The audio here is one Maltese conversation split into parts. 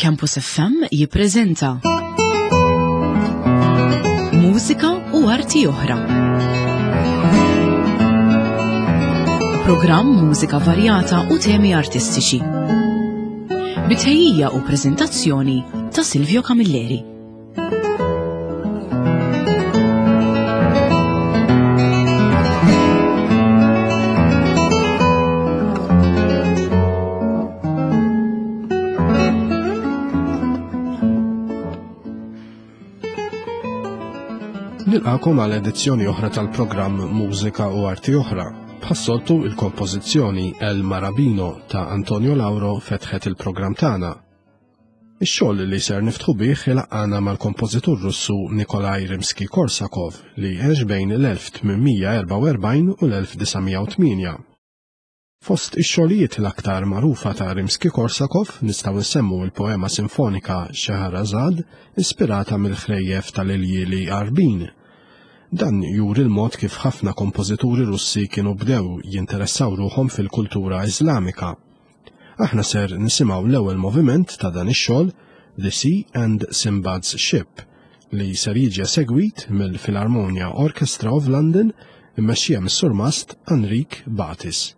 Campus FM jippreżenta Mużika u arti oħra. Programm mużika varjata u temi artistiċi. Bitħejjija u preżentazzjoni ta' Silvio Camilleri. Nilqakom għal edizzjoni oħra tal-programm Mużika u Arti Oħra. Bħas-soltu il-kompożizzjoni El Marabino ta' Antonio Lauro fetħet il-programm tagħna. Ix-xogħol li ser niftħu bih ilaqqagħna mal-kompożitur Russu Nikolai Rimsky-Korsakov li għex bejn l-1844 u l-1908. Fost ix-xogħlijiet l-aktar magħrufa ta' Rimsky-Korsakov nistgħu nsemmu l-poema sinfonika Scheherazade ispirata mill-ħrejjef tal-iljieli Għarbin. Dan juri l-mod kif ħafna kompożituri Russi kienu bdew jinteressaw ruħhom fil-kultura Iżlamika. Aħna ser nisimgħu l-ewwel moviment ta' dan ix-xogħol The Sea and Sinbad's Ship li ser jiġi esegwit mill-Philharmonia Orchestra of London immexxija mis-Surmast Enrique Batis.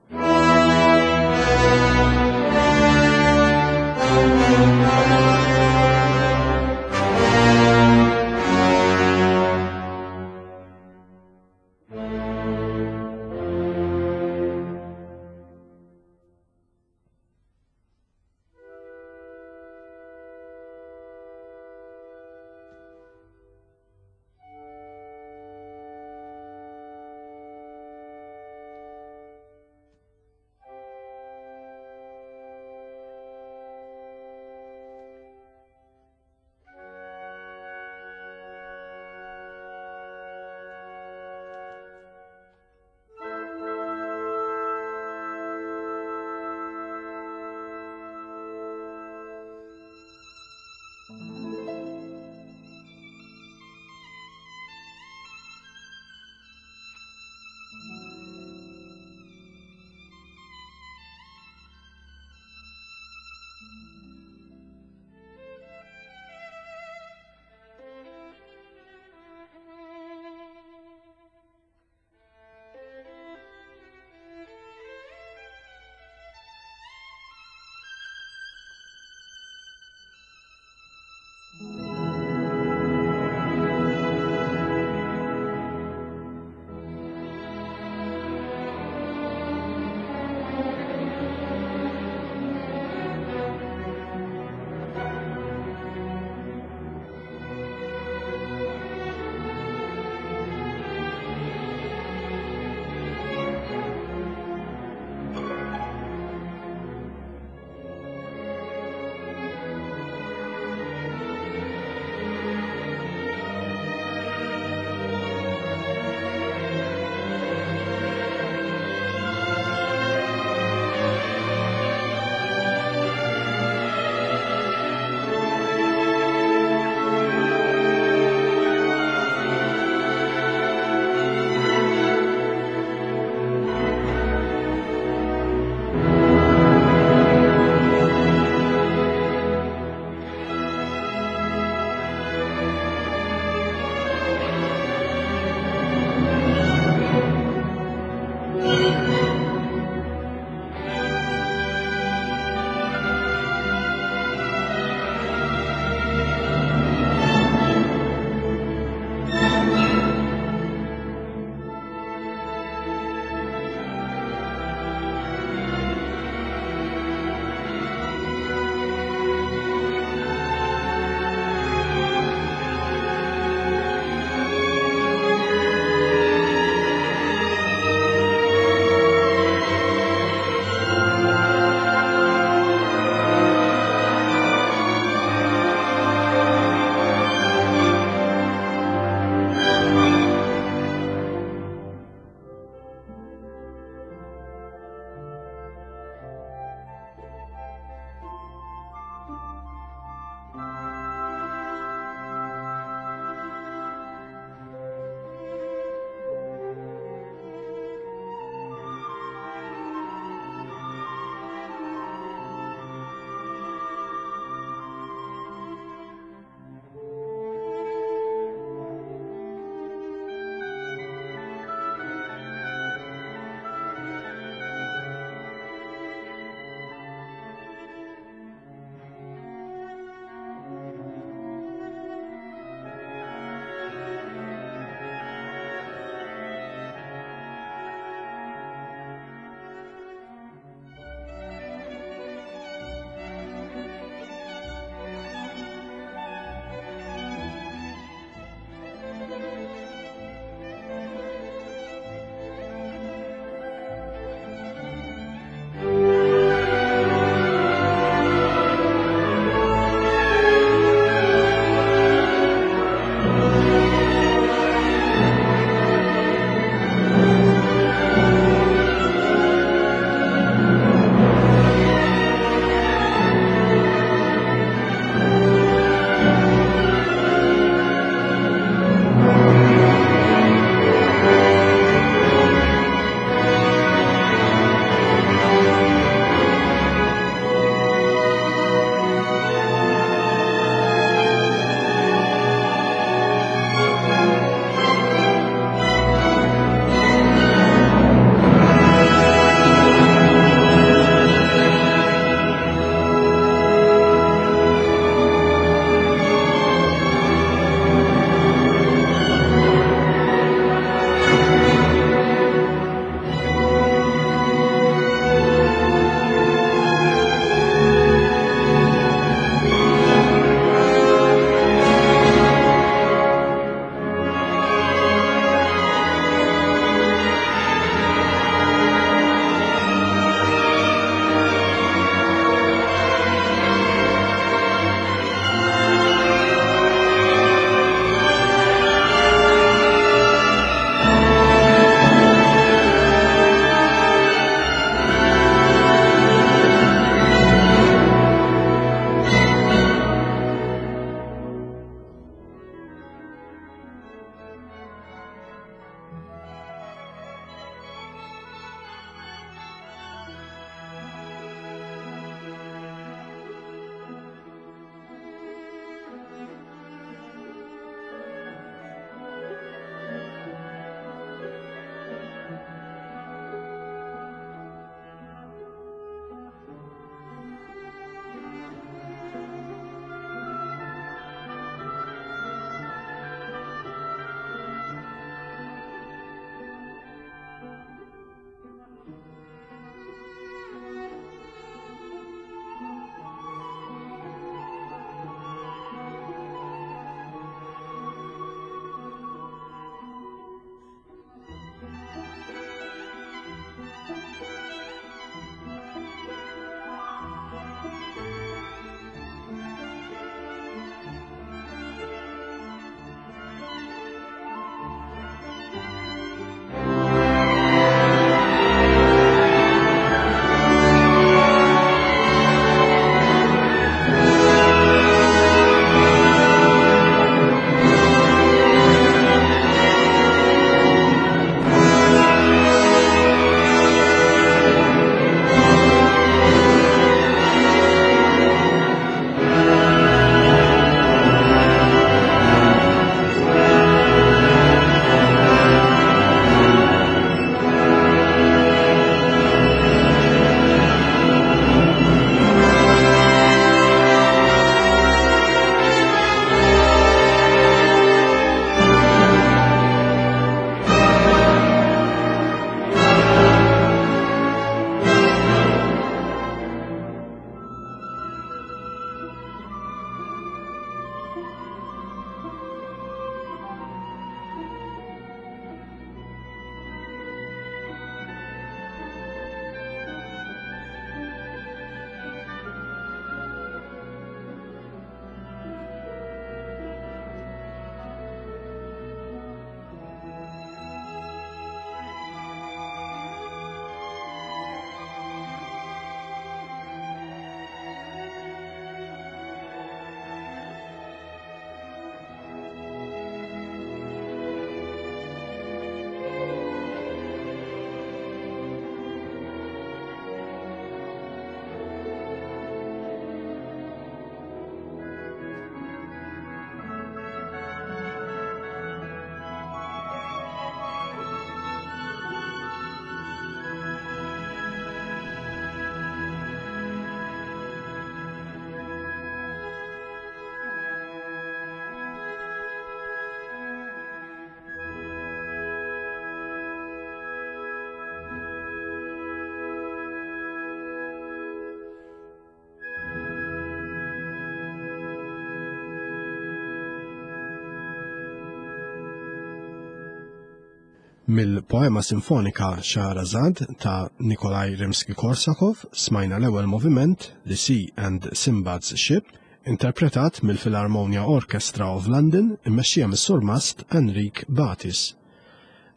Mill-poema sinfonika Shahrazad ta' Nikolai Rimsky-Korsakov smajna l-ewwel moviment The Sea and Sinbad's Ship interpretat mill-Philharmonia Orchestra of London immexxija mis-surmast Enrique Batis.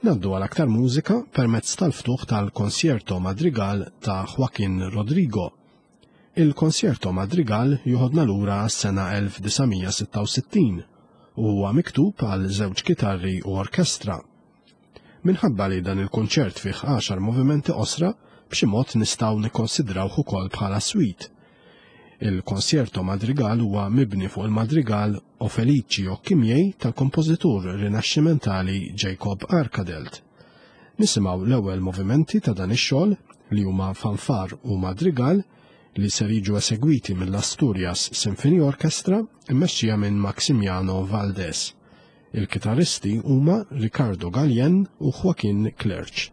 Naddu għal aktar mużika permezz tal-ftuħ tal-Concierto Madrigal ta' Joaquin Rodrigo. Il-Concierto Madrigal joħodna lura għas-sena 1966 u huwa miktub għal żewġ kitarri u orkestra. Minħabba li dan il-kunċert fih għaxar movimenti qosra, b'xi mod nistgħu nikkonsidrawh ukoll bħala suite. Il-Concierto Madrigal huwa mibni fuq il-madrigal O Felici Occhi Miei tal-kompożitur rinaxximentali Jacob Arkadelt. Nisimgħu l-ewwel movimenti ta' dan ix-xogħol li huma fanfar u madrigal li ser jiġu esegwiti mill-Asturias Symphony Orchestra mmexxija minn Maximiano Valdés. Il-kitarristi huma Ricardo Galien u Joaquin Clerch.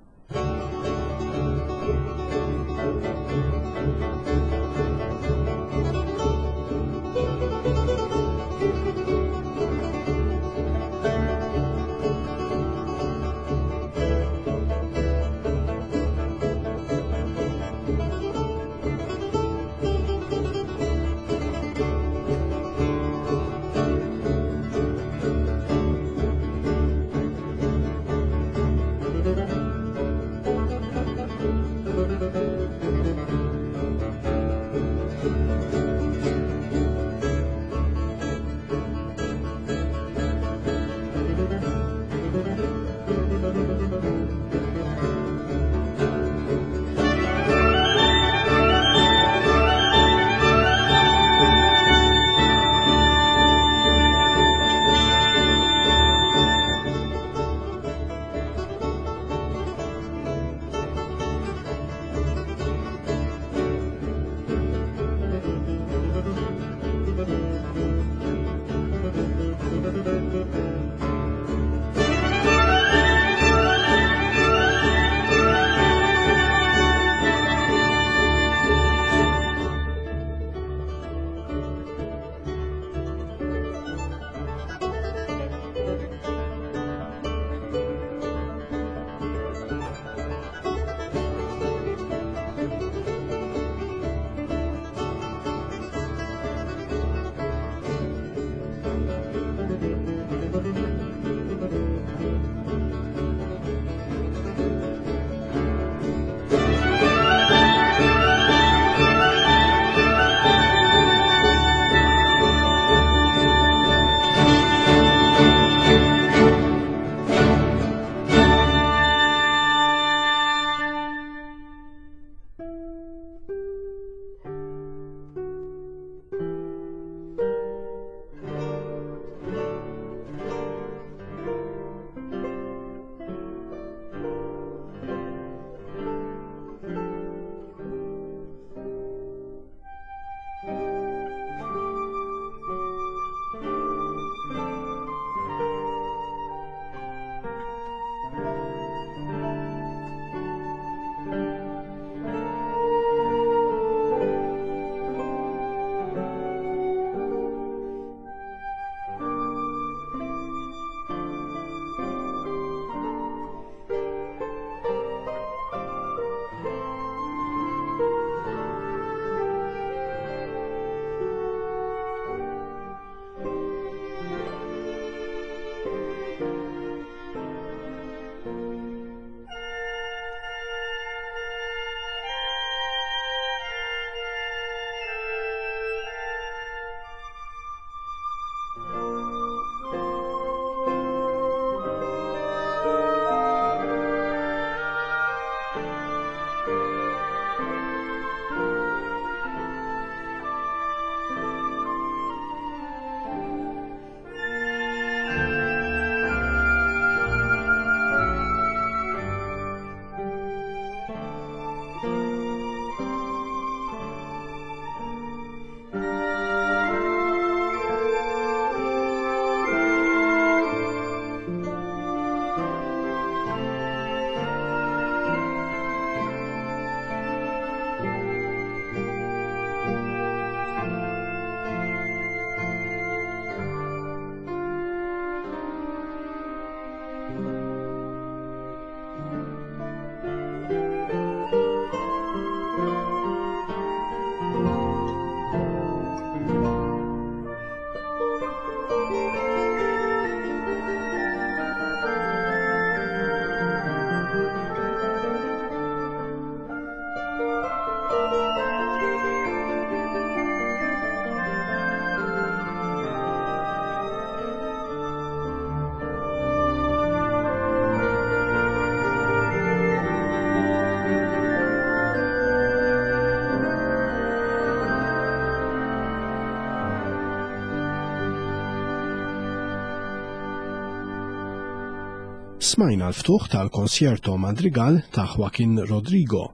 Smajna l-ftuħ tal-Konsjerto Madrigal ta' Joaquin Rodrigo.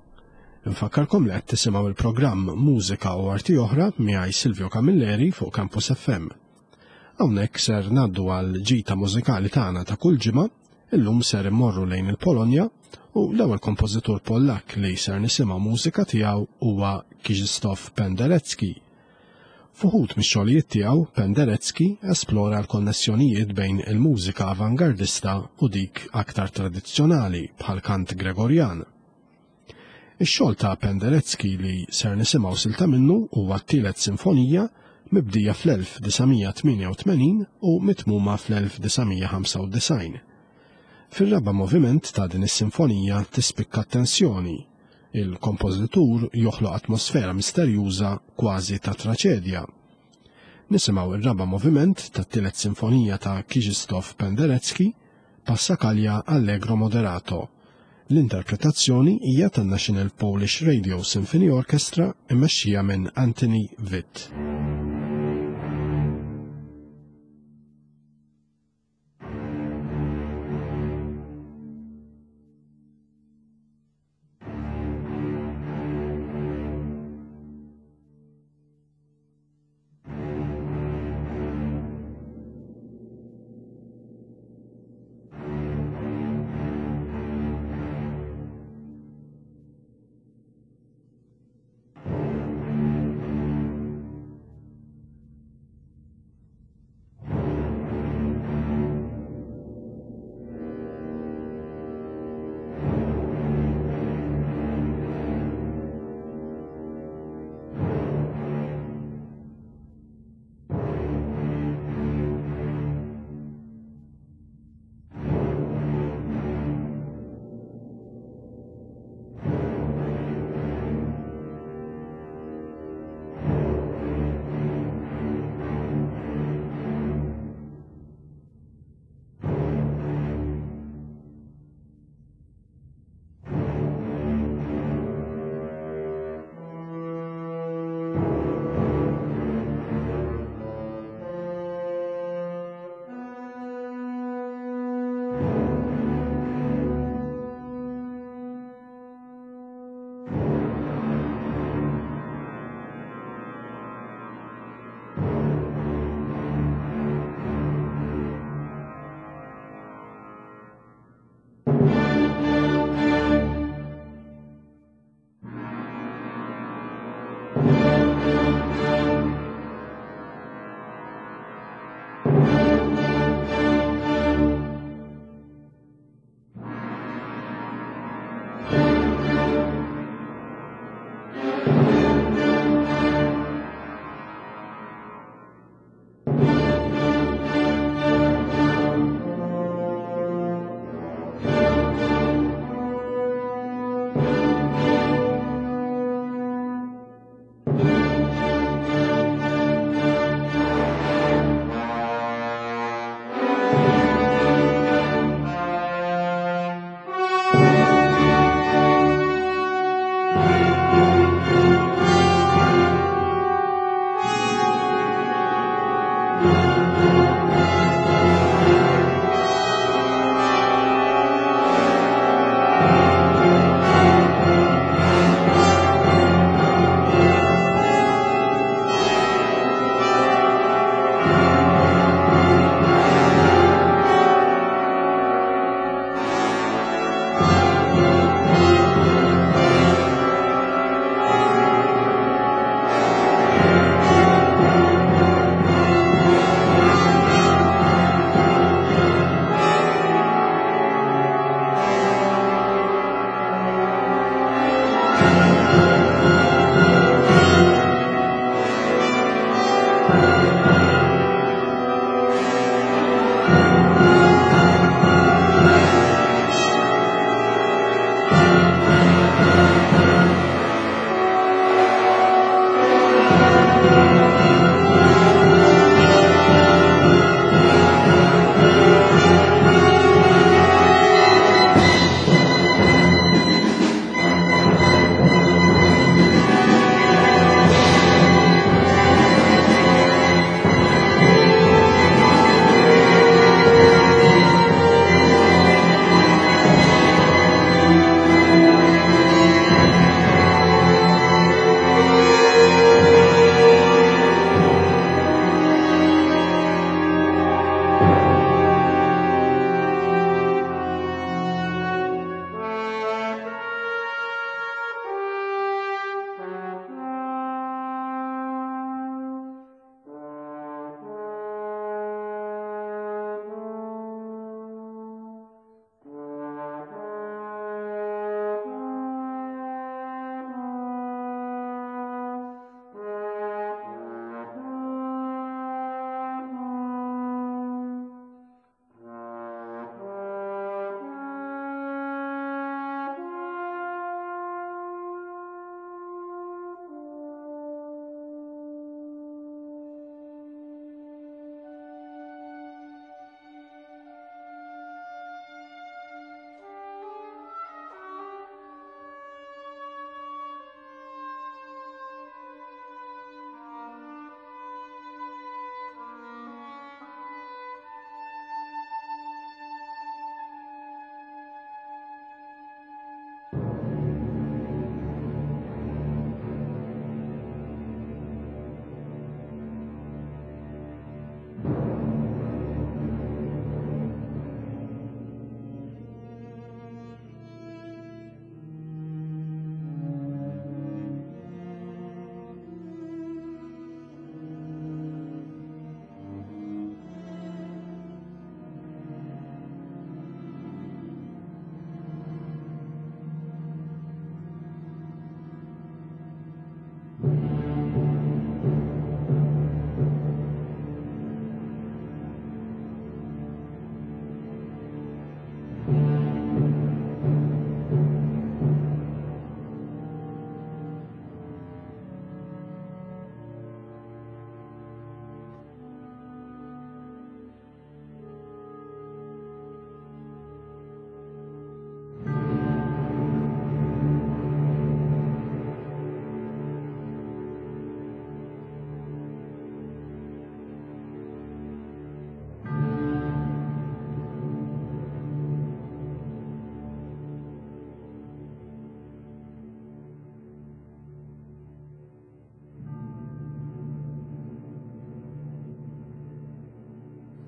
Infakkarkom li qed tisimgħu il-programm Mużika u Arti Oħra miegħi Silvio Camilleri fuq Campus FM. Hawnhekk ser ngħaddu għal ġita mużikali tagħna ta' kull ġimgħa, illum ser immorru lejn il-Polonja u l-ewwel kompożitur Pollak li ser nisimgħu mużika tiegħu huwa Krzysztof Penderecki. F'uħud mix-xogħlijiet tiegħu, Penderecki esplora l-konnessjonijiet bejn il-mużika avangardista u dik aktar tradizzjonali bħall-kant Gregorjan. Ix-xogħol ta' Penderecki li ser nisimgħu silta minnu huwa t-tielet sinfonija mibdija fl-1988 u mitmuma fl-1995. Fir-raba' moviment ta' din is-sinfonija tispikka t-tensjoni. Il-kompożitur joħloq atmosfera misterjuża kważi ta' traċedja. Nisimgħu r-raba' moviment tat-tielet sinfonija ta' Krzysztof Penderecki, Passacaglia Allegro Moderato. L-interpretazzjoni hija tan-National Polish Radio Symphony Orchestra mmexxija minn Anthony Witt.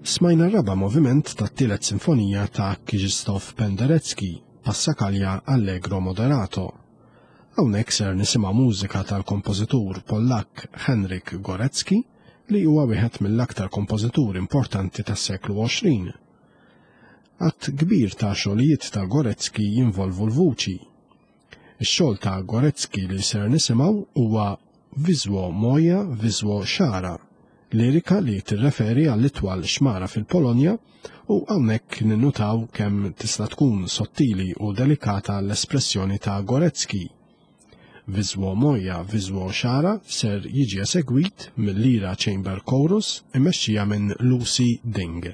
Smajna r-raba' moviment tat-tielet sinfonija ta' Krzysztof Penderecki, Passacaglia Allegro Moderato. Hawnhekk ser nisimgħu mużika tal-kompożitur Pollakk Henryk Gorecki li huwa wieħed mill-aktar kompożituri importanti tas-seklu 20. Għadd kbir ta' xogħlijiet ta' Gorecki jinvolvu l-vuċi. Ix-xogħol ta' Gorecki li ser nisimgħu huwa Wisło Moja Wisło Szara, lirika li tirreferi għall-itwal xmara fil-Polonja u hawnhekk ninnutaw kemm tista' tkun sottili u delikata l-espressjoni ta' Gorecki. Wisło Moja Wisło Szara ser jiġi esegwit mill-Lira Chamber Chorus immexxija minn Lucy Ding.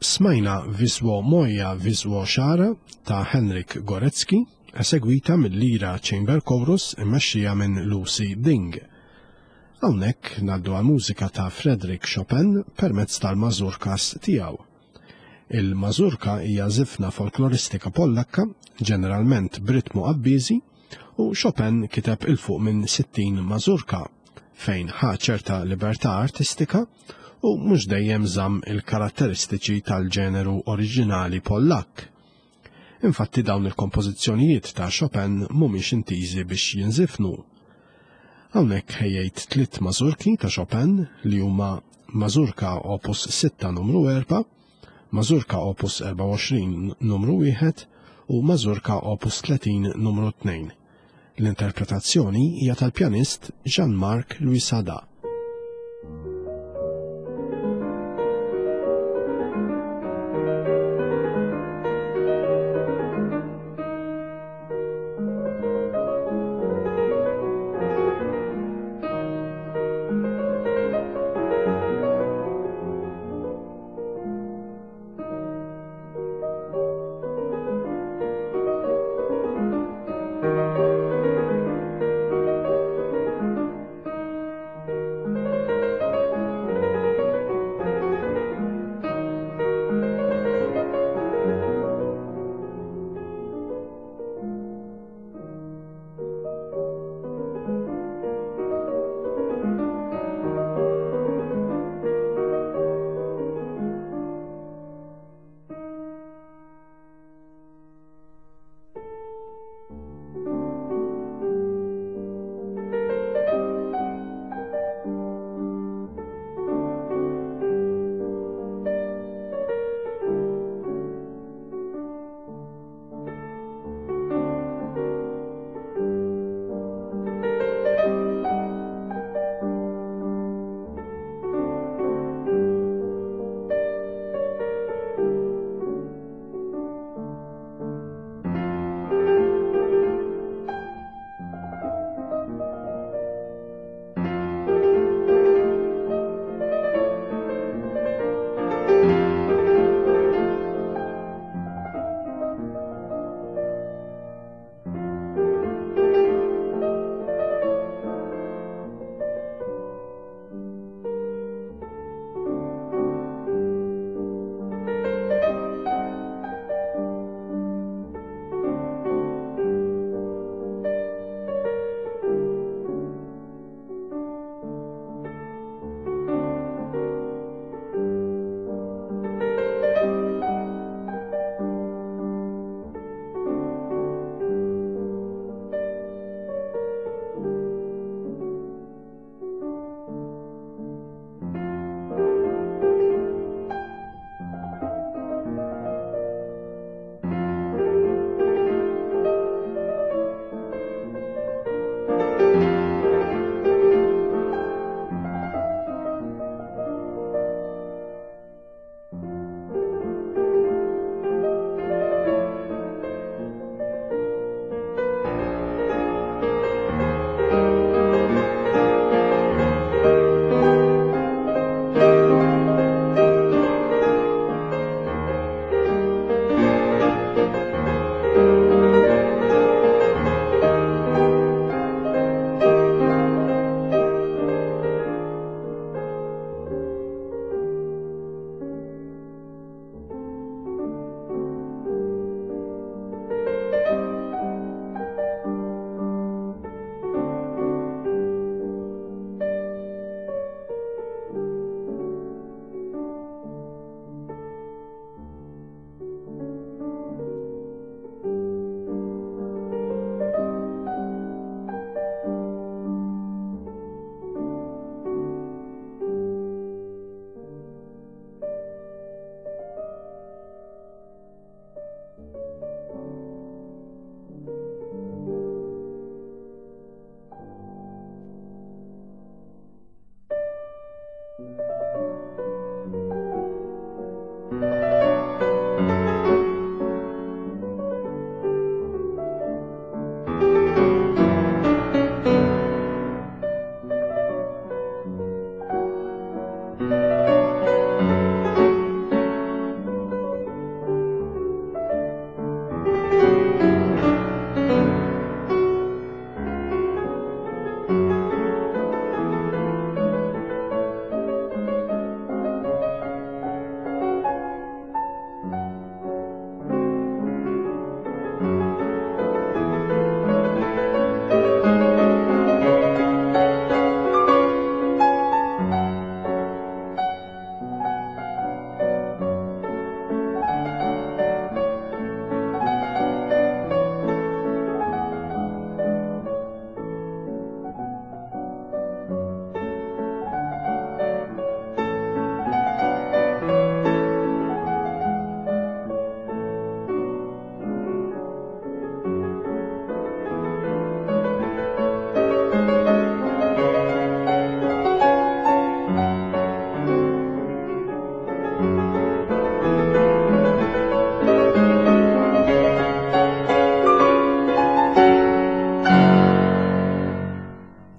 Smajna Wisło Moja Wisło Szara ta' Henryk Gorecki, esegwita mill-Lira Chamber Chorus immexxija minn Lucy Ding. Hawnhekk ngħaddu għal mużika ta' Frédéric Chopin permezz tal-mażurkas tiegħu. Il-mażurka hija żifna folkloristika Pollakka, ġeneralment b'ritmu qabbiżi, u Chopin kiteb 'il fuq minn 60 mażurka, fejn ħa ċerta libertà artistika u mhux dejjem żamm il-karatteristiċi tal-ġeneru oriġinali Pollakk. Infatti dawn il-kompożizzjonijiet ta' Chopin mhumiex intiżi biex jinżifnu. Hawnhekk ħejjejt tliet mażurki ta' Chopin li huma Mażurka Opus 6 numru 4, Mażurka Opus 24 numru 1 u Mażurka Opus 30 numru 2. L-interpretazzjoni hija tal-pjanist Jean-Marc Luisada.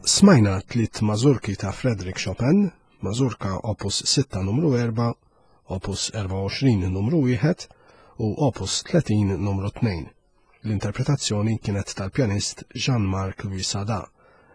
Smajna tliet mażurki ta' Frederick Chopin, mażurka opus 6 numru 4, opus 24 numru 1 u opus 30 numru 2. L-interpretazzjoni kienet tal-pjanist Jean-Marc Louis Sada.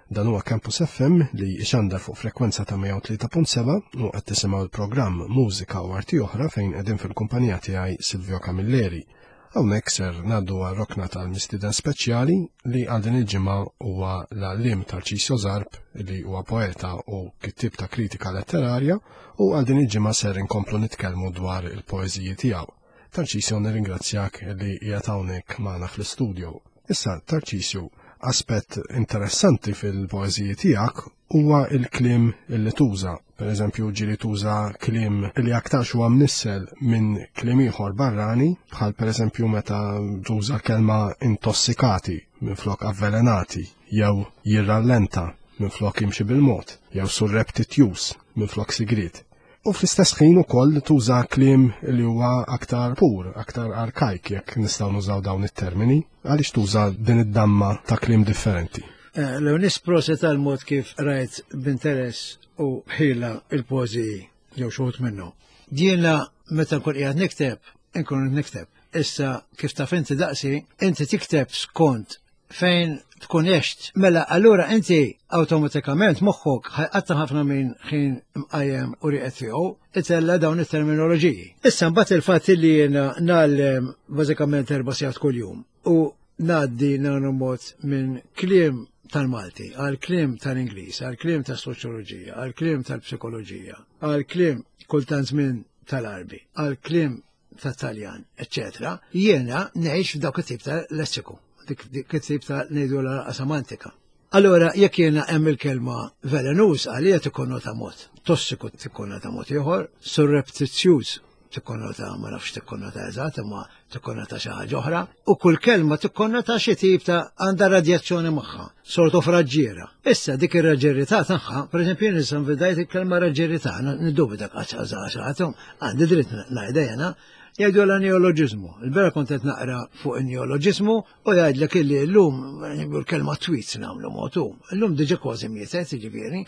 Dan huwa Campus FM li jxandar fuq frekwenza ta' 103.7 u qed tisimgħu l-programm Mużika u Arti Oħra fejn qegħdin fil-kumpanija tiegħi Silvio Camilleri. Hawnhekk ser ngħaddu għar-rokna tal-mistieden speċjali li għal din il-ġimgħa huwa l-għalliem Tarcisio Zarb li huwa poeta u kittieb ta' kritika letterarja u għal din il-ġimgħa ser inkomplu nitkellmu dwar il-poeżiji tiegħu. Tarcisio nirringrazzjak li qiegħed hawnhekk magħna fl-istudio. Issa Tarcisio, aspett interessanti fil-poeżiji tiegħek huwa l-kliem li tuża. Per eżempju, ġieli tuża kliem li aktarx huwa mnissel minn kliem ieħor barrani, bħal per eżempju meta tuża kelma intossikati minflok avvelenati, jew jirrallenta minflok jimxi bil-mod, jew surreptitious minflok sigriet. U fl-istess ħin ukoll tuża kliem li huwa aktar pur, aktar arkajk jekk nistgħu nużaw dawn it-termini, għaliex tuża din id-damma ta' kliem differenti. Eh, Leonis proset għal mod kif rajt b'interess u ħila il-poeżiji jew xi minnu. Jiena meta nkun qiegħed nikteb, inkun nikteb. Issa kif taf inti daqsi, inti tikteb skont fejn tkun għext. Mela allura inti awtomatikament moħħok ħajqatta ħafna minn ħin mqajjem u rieqed tiegħu itella dawn it-terminoloġiji. Issa mbagħad il-fatt li jiena nagħllem bażikament erba' sigħat kuljum u ngħaddi nagħmlu mod minn kliem tal-Malti, għal kliem tal-Ingliż, għal kliem tas-soċjoloġija, għal kliem tal-psikoloġija, għal kliem kultant minn tal-Arbi, għal kliem tat-Taljan, eċċetera, jiena ngħix f'dawk it-tip ta' lessiku, dik it-tip ta' ngħidu la semantika. Allora, jekk jiena hemm il-kelma velenus għalija tikkonnota mod, tossiku tikkonnota mod ieħor, surreptitious tikkonnota ma nafx tikkonnota eżatt imma tikkonnota xi ħaġa oħra, u kull kelma tikkonnota xi tip ta' għandha radjazzjoni magħha, sort of raġġiera. Issa dik ir-raġġerità tagħha, pereżempju jien issa nvidajt il-kelma raġġerità, niddubita qatt għandi dritt ngħidha jena, jgħidu la neoloġiżmu. Il-bera kont qed naqra fuq in-neoloġiżmu u jgħidlek illi llum l-kelma tweets nagħmlu motu. Illum diġà kważi mietet, jiġifieri.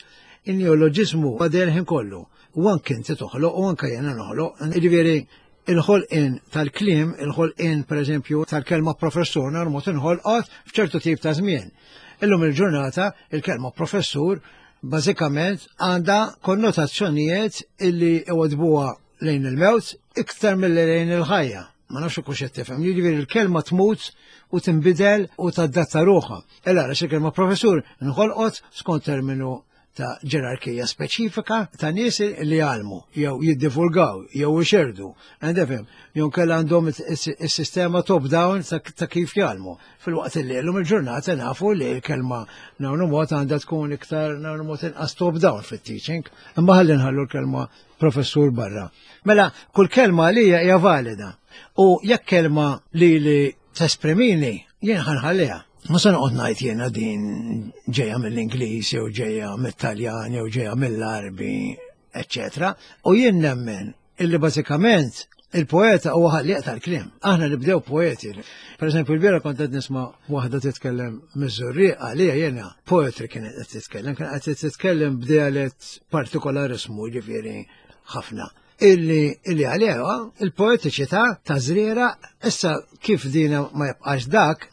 In-neoloġiżmu għadej ħin kollu. U anke inti toħloq u anke jiena noħloq. Jiġifieri il-ħolqien tal-kliem, il-ħolqien pereżempju tal-kelma professur normot inħolqot f'ċertu tip ta' żmien. Illum il-ġurnata il-kelma professur bażikament għandha konnotazzjonijiet illi iwadbuha lejn il-mewt iktar milli lejn il-ħajja. Ma nafx kux qed tifhem. Jiġifieri l-kelma tmut u tinbidel u tadatta ruħha. Ella għaliex il-kelma professur inħolqot skont terminu ta' ġerarkija speċifika ta' nies li jgħallmu jew jiddivulgaw jew ixerdu. Għandefhem, jew kellha għandhom is-sistema top down ta' kif jgħallmu. Fil-waqt li llum il-ġurnata nafu li l-kelma nagħmlu mod għandha tkun iktar nagħmlu mod inqas top down fit-teaching, imma ħalli nħallu l-kelma professur barra. Mela, kull kelma għalija hija valida. U jekk kelma li li tesprimini, jien ħanħalliha. Ma se noqgħod ngħid jiena din ġejja mill-Ingliż jew ġejja mit-Taljan jew ġejja mill-Arbi, eċċetera. U jien nemmen illi bażikament il-poeta huwa ħallieq tal-kliem. Aħna nibdew poeti. Per eżempju, l-biera kont qed nisma' waħda titkellem miż-Żurrieq għalija jiena poetry kienet qed titkellem, kien qed titkellem b'dialett partikolarismu ġifieri ħafna. Illi illi għaliha il-poetiċità ta' żriera issa kif dina ma jibqax dak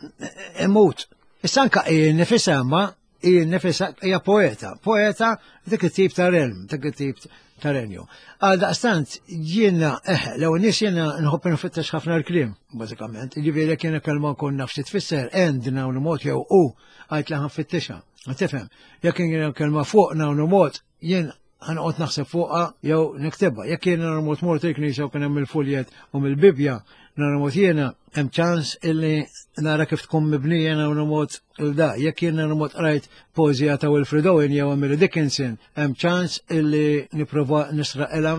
imut. Issa anka hi nifisha ma hi nifisha hija poeta, poeta dik it-tip ta' realm, dik it-tip ta' renju. Għal daqstant jiena eh, l nies jiena nħobb nfittex ħafna l-kliem, bażikament. Jiġifieri jekk jiena kelma nkun naf xi tfisser end hawn mod jew u għajt li ħanfittixha. Tifhem, jekk jiena kelma fuq hawn mod jien ħanqod naħseb fuqha jew niktibha. Jekk jiena normot mort il-knisja u kien hemm il-fuljet u mill-Bibbja, normot jiena hemm ċans illi nara kif tkun mibnija normot il-da. Jekk jiena normot qrajt poeżija ta' Wilfrid Owen jew Emily Dickinson, hemm ċans illi nipprova nisraqilha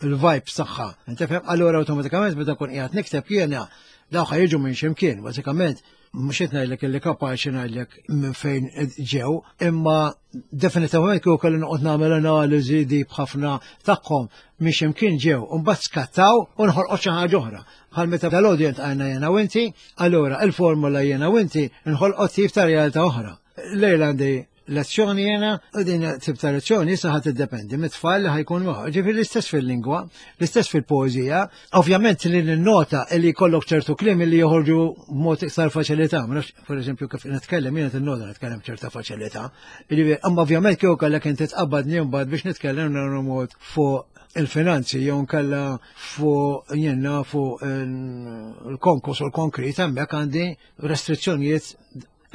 il-vibes tagħha. Inti fhem allura awtomatikament meta nkun qiegħed nikteb jiena daw ħajġu minn x'imkien, bażikament mhux qed ngħidlek illi kapaċi ngħidlek minn fejn ġew, imma definitivament kieku kelli noqgħod nagħmel analiżi dip ħafna tagħhom minn x'imkien ġew, u mbagħad skattaw u nħolqot xi ħaġa oħra. Bħal meta dal-audience għajna jiena u inti, allura il-formula jiena u inti nħolqot tip ta' realtà oħra. Lejla għandi lezzjoni jiena, u din tip ta' lezzjoni issa ħadd iddependi mit-tfal li ħajkun magħha. Ġifieri l-istess fil-lingwa, l-istess fil-poeżija, ovvjament li ninnota li jkollok ċertu kliem li joħorġu b'mod iktar faċilità. Ma nafx, per eżempju, kif nitkellem jiena tinnota nitkellem ċerta faċilità. Ġifieri, imma ovvjament kieku kellek inti tqabbadni mbagħad biex nitkellem nagħmlu mod fuq il-finanzi jew nkella fuq jenna fuq il-konkos u l-konkrit hemmhekk għandi restrizzjonijiet.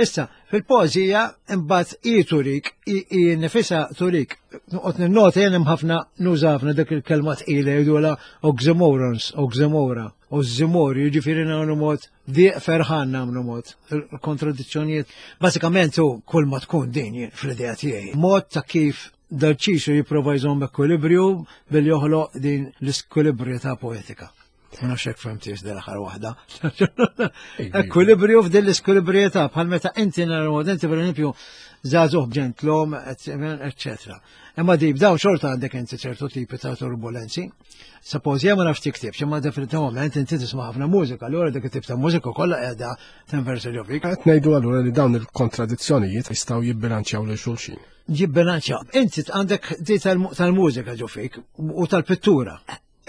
Issa, fil-poeżija imbagħad hi turik, hi nifisha turik. Noqgħod ninnota jien hemm ħafna nuża ħafna dik il-kelma tqila jgħidulha oxymorons, oxymora, oxymori, jiġifieri nagħmlu mod diq ferħan nagħmlu mod il-kontradizzjonijiet. Bażikament hu kull ma tkun din fl-idea tiegħi. Mod ta' kif Dal-ċisu jipprova jżomm ekwilibrju billi joħloq din l-iskwilibrjetà poetika. Ma nafx hekk fehmtix din l-aħħar waħda. Ekwilibrju f'din l-iskwilibrjetà bħal meta inti naraw inti pereżempju żagħżugħ b'ġentlom, eċċetera. Imma di b'dawn xorta għandek inti ċertu tipi ta' turbulenzi. Suppose jien ma nafx tiktibx, imma definitivament inti tisma' ħafna mużika, allura dik it-tip ta' mużika kollha qiegħda tinversa ġo fik. Qed ngħidu allura li dawn il-kontradizzjonijiet jistgħu jibbilanċjaw lil xulxin. Jibbilanċjaw. Inti għandek di tal-mużika ġo fik u tal-pittura.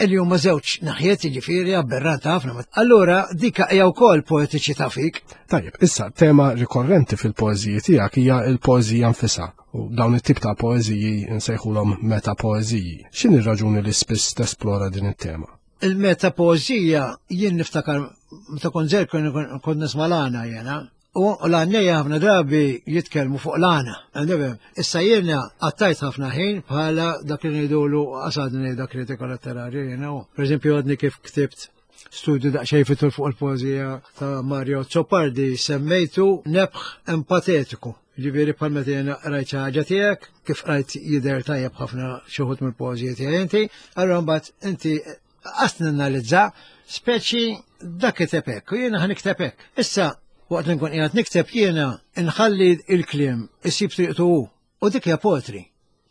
Illi huma żewġ naħjiet jiġifieri aberrant ħafna. Allura dik hija wkoll poetiċità fik. Tajjeb, issa tema rikorrenti fil-poeżiji tiegħek hija l-poeżija nfisha u dawn it-tip ta' poeżiji nsejħulhom metapoeżiji. X'inhi r-raġuni li spiss tesplora din it-tema? Il-metapoeżija jien niftakar meta kont żgħir kont nisma' l-għana jiena U l-għannejja ħafna drabi jitkellmu fuq l-għana. Issa jiena għattajt ħafna ħin bħala dak li ngħidulu qasadni ngħidha kritika letterarja jiena. Per eżempju għadni kif ktibt studju daqsxejn fitul fuq il-poeżija ta' Mario Azzopardi semmejtu nebħ empatetiku. Ġifieri bħal meta jiena qrajt xi ħaġa tiegħek, kif qrajt jidher tajjeb ħafna xi wħud mill-poeżiji tiegħi inti, allura mbagħad inti Qast nanalizza speċi dak kiteb hekk u jiena ħanikteb hekk. Issa waqt li nkun qiegħed nikteb jiena nħalli il-kliem isib triqtu hu u dik hija poetry.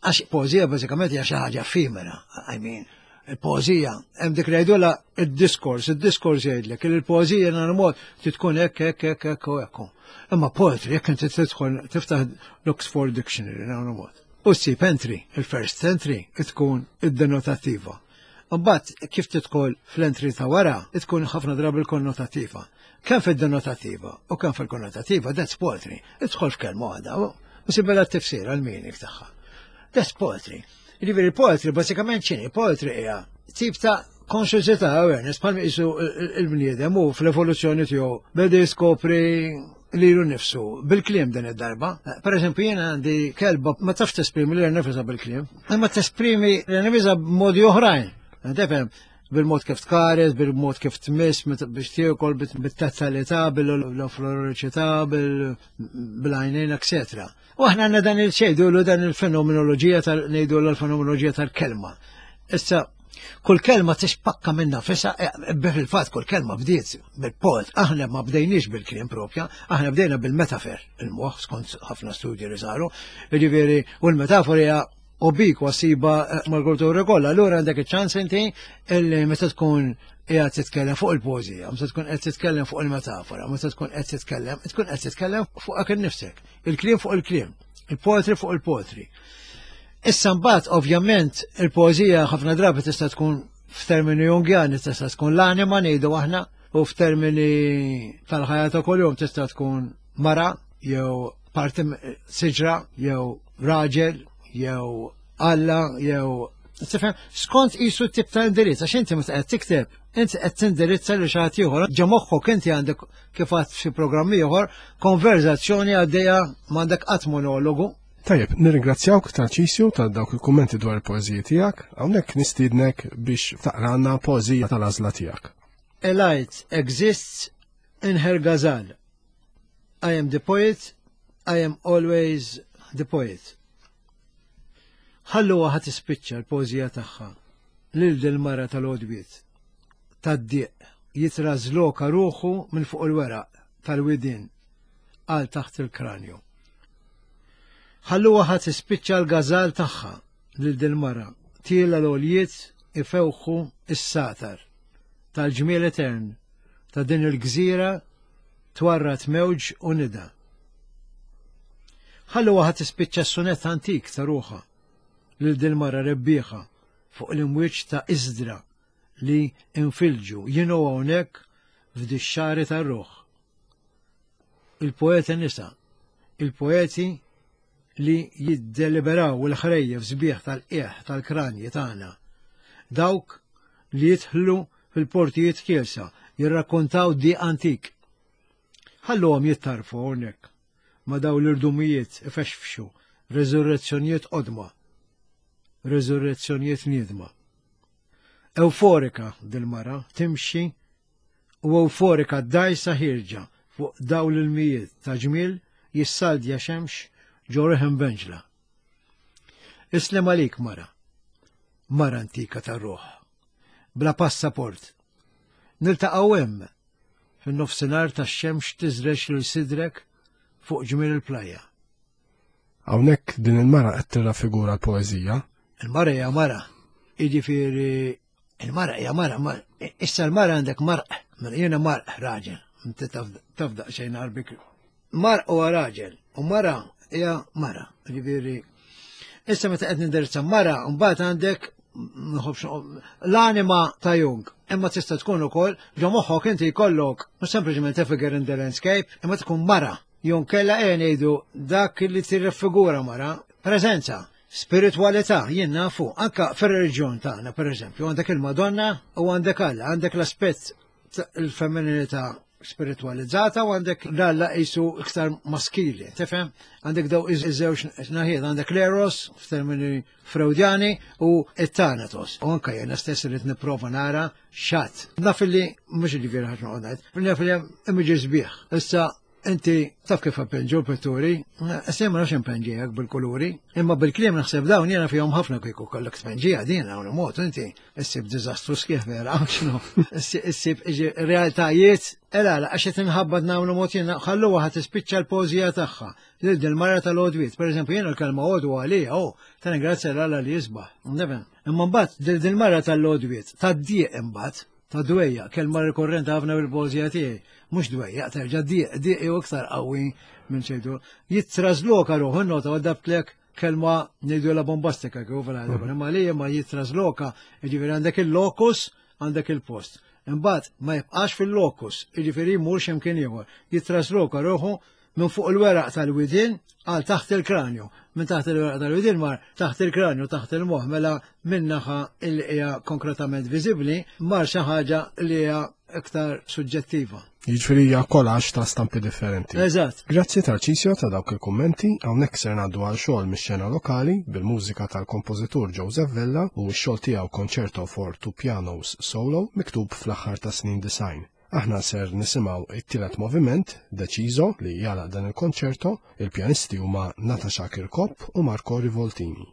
Għax poeżija bażikament hija xi ħaġa effimera, I mean, il-poeżija hemm dik li jgħidulha id-diskors, id-diskors jgħidlek li l-poeżija nhar mod tkun hekk hekk hekk hekk u hekk. Imma poetry jekk inti tidħol tiftaħ l-Oxford Dictionary nhar mod. U ssib entry, il-first entry tkun id-denotattiva. Imbagħad kif tidħol fl-entry ta' wara, tkun ħafna drabi l-konnotattiva. Kemm fid-denotattiva u kemm fil-konnotattiva, that's poetry. Idħol f'kelma waħda u sibela t-tifsir għal-meaning tagħha. That's poetry. Jiġifieri poetry bażikament x'inhi? Poetry hija tip ta' konxjenza awareness bħal qisu il-bniedem u fl-evoluzzjoni tiegħu beda jiskopri lilu nifsu bil-kliem din id-darba. Per eżempju, jiena għandi kelba ma tafx tesprimi lilha nifisha bil-kliem, imma tesprimi lilha nifisha b'modi oħrajn. Tifhem, bil-mod kif tkares, bil-mod kif tmiss, biex tiekol, bit-tazzalità, bil-floriċità, bil-għajnejn, etc. U aħna għandna dan il-xejdu dan il-fenomenoloġija tal ngħidu l-fenomenoloġija tal-kelma. Issa, kull kelma tispakka minna fisa, eh, fil-fatt kull kelma bdiet bil-poet, aħna ma bdejniex bil-kliem propja, aħna bdejna bil-metafer, il-moħ, skont ħafna studji li saru, jiġifieri, u l-metafora hija ubikwa siba eh, mal-kultura kollha, allura għandek iċ-ċans inti illi meta tkun qiegħed titkellem fuq il-poeżija, meta tkun qed titkellem fuq il-metafora, meta tkun qed titkellem, tkun qed titkellem fuq innifsek, il-kliem fuq il-kliem, il-poetry fuq il-poetry. Issa mbagħad ovvjament il-poeżija ħafna drabi tista' tkun f'termini Jungjani tista' tkun l-anima ngħidu aħna u f'termini tal-ħajja ta' kuljum tista' tkun mara jew parti siġra jew raġel jew Alla jew Tifhem, skont qisu tip ta' indirizz, għax inti meta qed tikteb, inti qed tindirizza lil xi ħadd ieħor, ġo moħħok inti għandek kif għadt f'xi programm ieħor, konverzazzjoni għaddejja m'għandek qatt monologu. Tajjeb, nirringrazzjawk Tarċisju ta' dawk il-kummenti dwar il-poeżiji tiegħek. Hawnhekk nistiednek biex taqralna poeżija tal-għażla tiegħek. A light exists in her ghazal. I am the poet, I am always the poet. Ħalluha ħa tispiċċa l-poeżija tagħha lil dil-mara tal-għodwiet, tad-dieq jitrażloka ruħu minn fuq il-weraq tal-widien għal taħt il-kranju. Ħalluha ħa tispiċċa l-gażal tagħha lil dil-mara tiela l-għoljiet ifewħu s-satar tal-ġmiel etern ta' din il-gżira twarrad mewġ u nida. Ħalluha ħa tispiċċa s-sunett antik ta' ruħha lil dil-mara rebbieħa fuq l-imwieġ ta' iżdra li infilġu jien u hawnhekk f'dix-xagħri tar-ruħ. Il-poeti nisa, il-poeti li jiddeliberaw il-ħrejjef sbieħ tal-qiegħ tal-kranji tagħna. Dawk li jidħlu fil-portijiet kielsa, jirrakkontaw di antik. Ħalluhom jittarfu hawnhekk ma' daw l-irdumijiet ifexfxu reżurrezzjonijiet qodma, reżurrezzjonijiet niedma. Ewforika dil-mara timxi u ewforika d-dgħajsa ħierġa fuq dawl l-ilmijiet ta' ġmiel jissaldja xemx ġo riħ imbenġla. Islem għalik mara, mara antika tar-ruħ, bla passaport. Niltaqgħu hemm fin-nofsinhar tax-xemx tiżrex lil sidrek fuq ġmiel il-plajja. Hawnhekk din il-mara qed tirrafigura l-poeżija. Il-mara hija mara. Jiġifieri il-mara hija mara, issa l-mara għandek marq, mela jiena marq raġel, inti taf daqsxejn għarbik. Marq huwa raġel u mara hija mara, jiġifieri issa meta qed nindirizza mara, mbagħad għandek l-anima ta' Jung. Imma tista' tkun ukoll ġo moħħok inti jkollok mhux sempliċement a figure in the landscape, imma tkun mara. Jew nkella ejja ngħidu dak li tirreffigura mara, preżenza, spiritwalità, jien nafu, anka fir-reliġjon tagħna pereżempju, għandek il-Madonna u għandek Alla, għandek l-aspett il-femminilità spiritwalizzata u għandek l-Alla qisu iktar maskili, tifhem? Għandek daw iż-żewġ naħiet, għandek l-eros f'termini Freudjani u it-Thanatos. U anka jiena stess irid nipprova nara x'għadd. Naf li mhux ġifieri ħadd noqgħod ngħid, naf li hemm iġi sbieħ. Issa inti taf kif appenġu l-pitturi, issa ma nafx impenġijak bil-kuluri, imma bil-kliem naħseb dawn jiena fihom ħafna kieku kollok tpenġija din hawn mod inti issib diżastru sħiħ vera, x'inhu, issib realtajiet, ela għax qed inħabbat nagħmlu mod jiena ħalluha ħa tispiċċa l-poeżija tagħha. Lil din mara tal-għodwiet, per eżempju, jiena l-kelma għodwa għalija, oh, ta' ningrazzja l-Alla li jisbaħ. Nifhem. Imma mbagħad lil din mara tal-għodwiet, tad-dieq imbagħad, ta' dwejja, kelma rikorrenti ħafna bil-poeżija tiegħi, mhux dwejja, terġa' dieq, dieq jew iktar qawwi minn ċejtu. Jittrażloka ruħu nota għadabtlek kelma ngħidu la bombastika kif fil imma li ma jittrażloka, jiġifieri għandek il-lokus, għandek il-post. Imbagħad ma jibqax fil-lokus, jiġifieri jmur x'imkien ieħor. Jittrażloka ruħu minn fuq il-weraq tal-widien għal taħt il-kranju. Minn taħt il-weraq tal-widien mar taħt il-kranju, taħt il-moħħ, mela minn naħa li hija konkretament viżibbli mar xi ħaġa li hija iktar suġġettiva. Jiġifieri hija kolax ta' stampi differenti. Eżatt. Grazzi Tarcisio ta' dawk il-kummenti, hawnhekk ser ngħaddu għal xogħol mix-xena lokali bil-mużika tal-kompożitur Joseph Vella u x-xogħol tiegħu Concerto for Two Pianos Solo miktub fl-aħħar tas-snin 90. Aħna ser nisimgħu it-tielet moviment, Deciso, li jagħlaq dan il-konċerto, il-pjanisti huma Natasha Kirkop u Marco Rivoltini.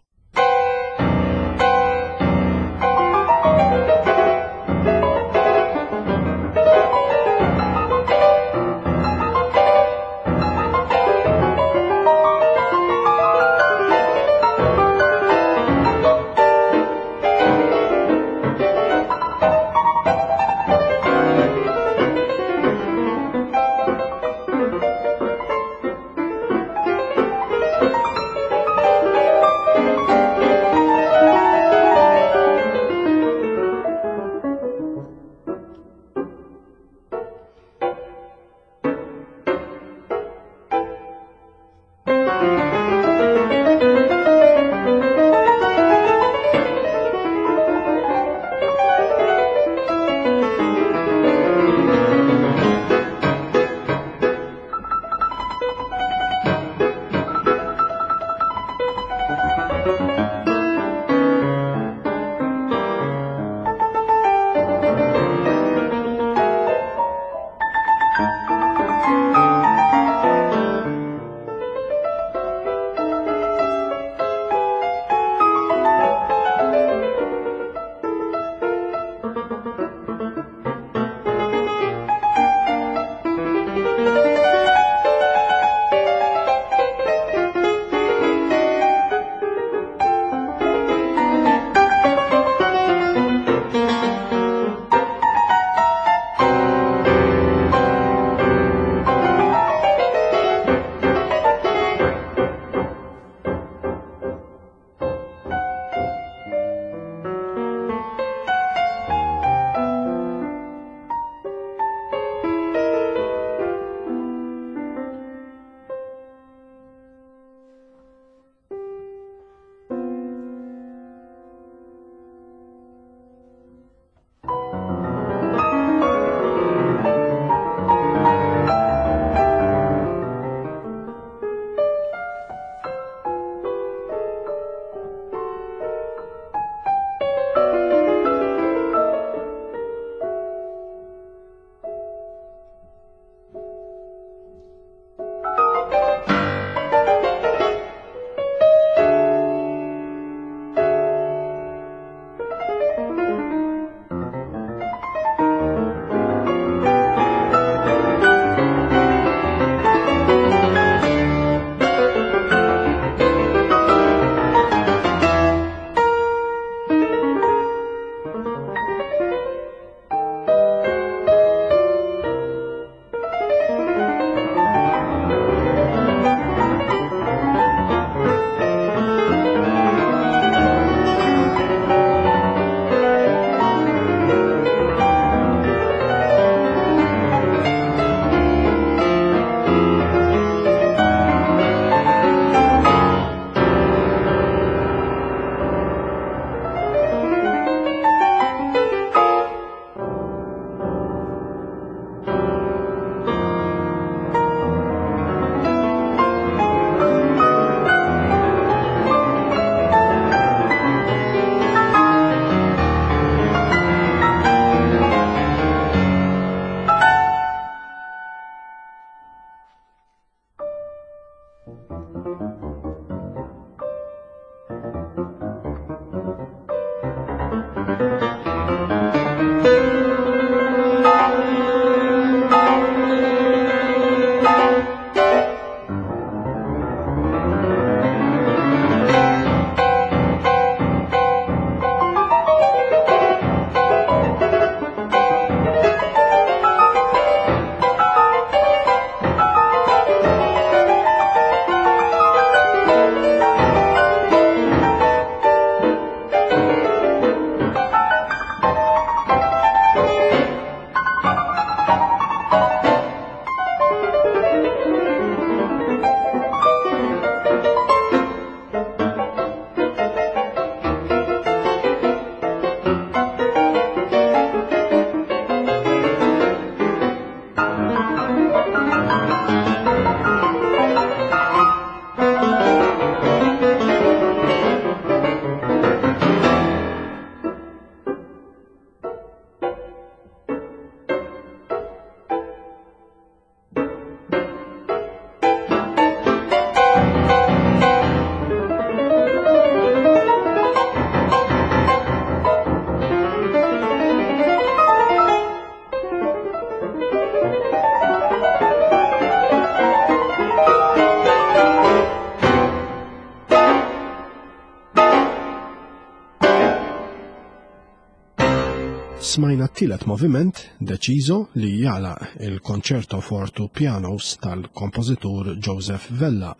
Smajna t-tielet moviment, Deciso, li jagħlaq il-Concerto for Two Pianos tal-kompożitur Joseph Vella.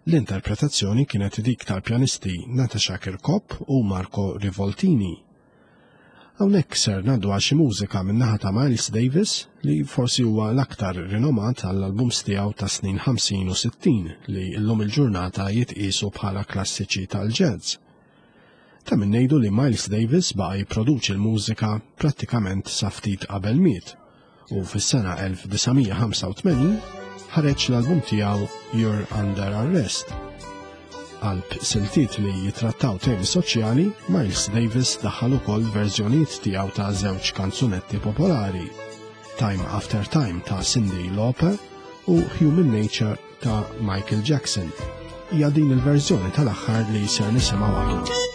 L-interpretazzjoni kienet dik tal-pjanisti Natasha Kirkop u Marco Rivoltini. Hawnhekk ser ngħaddu għal xi mużika min-naħa ta' Miles Davis li forsi huwa l-aktar rinomat għall-albums tiegħu ta' snin 50 u 60 li llum il-ġurnata jitqiesu bħala klassiċi tal-jazz. Ta' min ngħidu li Miles Davis baqa' jipproduċi l-mużika prattikament sa ftit qabel miet u fis-sena 1985 ħareġ l-album tiegħu You're Under Arrest. Qalb siltiet li jitrattaw temi soċjali, Miles Davis daħħal ukoll verżjonijiet tiegħu ta' żewġ kanzunetti popolari, Time After Time ta' Cyndi Lauper u Human Nature ta' Michael Jackson. Hija din il-verżjoni tal-aħħar li ser nisimgħu aħna.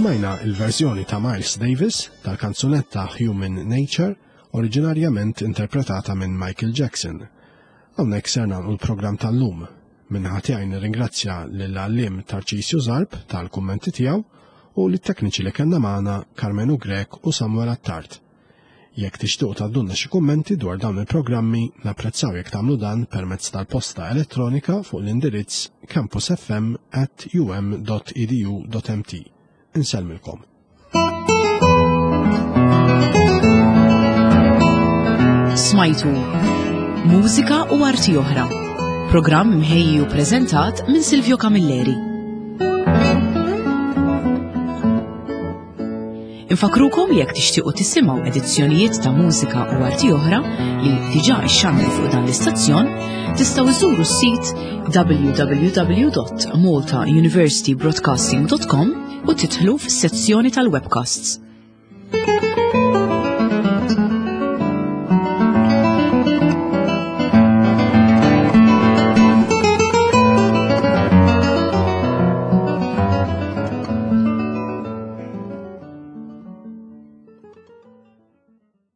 Smajna il-verżjoni ta' Miles Davis tal-kanzunetta Human Nature, oriġinarjament interpretata minn Michael Jackson. Hawnhekk ser nagħlqu l-programm tal-lum. Min-naħa tiegħi nirringrazzja lill-għalliem Tarċisju Zarb tal-kummenti tiegħu u lit-tekniċi li kellna magħna Karmenu Grech u Samuel Attard. Jekk tixtiequ tgħaddulna xi kummenti dwar dawn il-programmi, napprezzaw jekk tagħmlu dan permezz tal-posta elettronika fuq l-indirizz campusfm at um.edu.mt. Insellmilkom. Smajtu Mużika u Arti Oħra. Programm mħejji u preżentat minn Silvio Camilleri. Infakrukom li jekk tixtiequ tisimgħu edizzjonijiet ta' mużika u arti oħra li diġà xxandru fuq dan l-istazzjon, tistgħu iżuru s-sit www.maltauniversitybroadcasting.com u titħlu fis-sezzjoni tal-webcasts.